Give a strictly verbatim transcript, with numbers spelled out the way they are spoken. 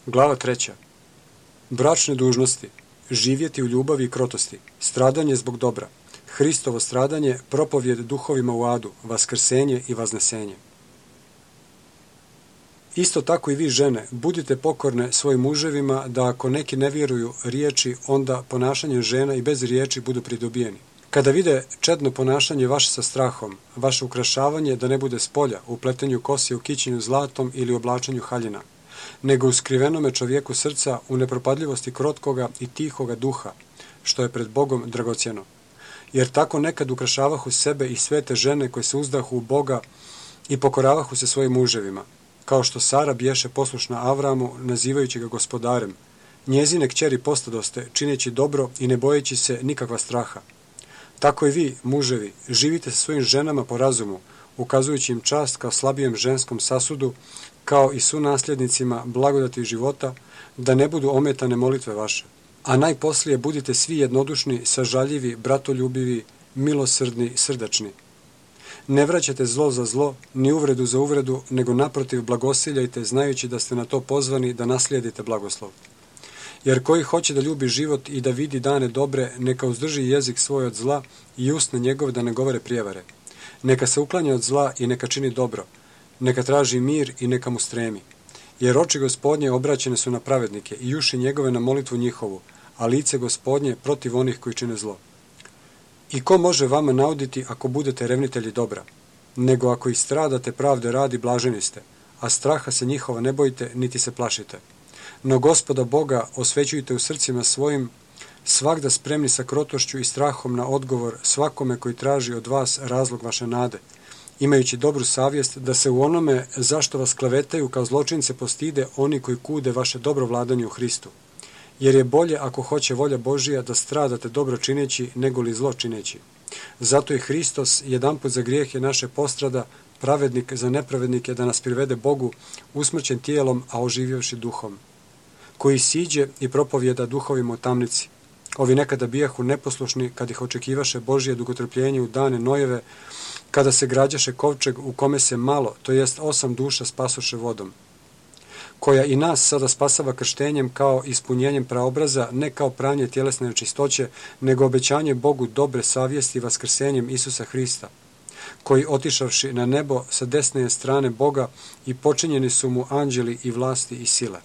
Glava treća. Bračne dužnosti. Živjeti u ljubavi i krotosti. Stradanje zbog dobra. Hristovo stradanje, propovjed duhovima u adu, vaskrsenje i vaznesenje. Isto tako i vi žene, budite pokorne svojim muževima, da ako neki ne vjeruju riječi, onda ponašanjem žena i bez riječi budu pridobijeni. Kada vide čedno ponašanje vaše sa strahom, vaše ukrašavanje da ne bude s polja, u pletenju kosi, u kićenju zlatom ili oblačenju haljina, nego u skrivenome čovjeku srca, u nepropadljivosti krotkoga i tihoga duha, što je pred Bogom dragocjeno. Jer tako nekad ukrašavahu sebe i svete žene koje se uzdahu u Boga i pokoravahu se svojim muževima, kao što Sara biješe poslušna Avramu, nazivajući ga gospodarem. Njezine kćeri postadoste, čineći dobro i ne bojeći se nikakva straha. Tako i vi, muževi, živite sa svojim ženama po razumu, ukazujući im čast kao slabijem ženskom sasudu, kao i sunasljednicima blagodati života, da ne budu ometane molitve vaše. A najposlije budite svi jednodušni, sažaljivi, bratoljubivi, milosrdni, srdačni. Ne vraćate zlo za zlo, ni uvredu za uvredu, nego naprotiv blagosiljajte, znajući da ste na to pozvani da naslijedite blagoslov. Jer koji hoće da ljubi život i da vidi dane dobre, neka uzdrži jezik svoj od zla i usne njegove da ne govore prijevare. Neka se uklanja od zla i neka čini dobro. Neka traži mir i neka mu stremi. Jer oči Gospodnje obraćene su na pravednike i uši njegove na molitvu njihovu, a lice Gospodnje protiv onih koji čine zlo. I ko može vama nauditi ako budete revnitelji dobra? Nego ako i stradate pravde radi, blaženi ste, a straha se njihova ne bojite, niti se plašite. No Gospoda Boga osvećujte u srcima svojim, svagda spremni sa krotošću i strahom na odgovor svakome koji traži od vas razlog vaše nade, imajući dobru savjest da se u onome zašto vas klevetaju kao zločince postide oni koji kude vaše dobro vladanje u Hristu. Jer je bolje, ako hoće volja Božija, da stradate dobro čineći nego li zlo čineći. Zato je Hristos jedanput za grijehe naše postrada, pravednik za nepravednike, da nas privede Bogu, usmrćen tijelom, a oživjevši duhom, koji siđe i propovjeda duhovima u tamnici. Ovi nekada bijahu neposlušni kad ih očekivaše Božije dugotrpljenje u dane Nojeve, kada se građaše kovčeg u kome se malo, to jest osam duša spasoše vodom, koja i nas sada spasava krštenjem kao ispunjenjem praobraza, ne kao pranje tjelesne nečistoće, nego obećanje Bogu dobre savjesti vaskrsenjem Isusa Hrista, koji otišavši na nebo sa desne strane Boga i počinjeni su mu anđeli i vlasti i sile.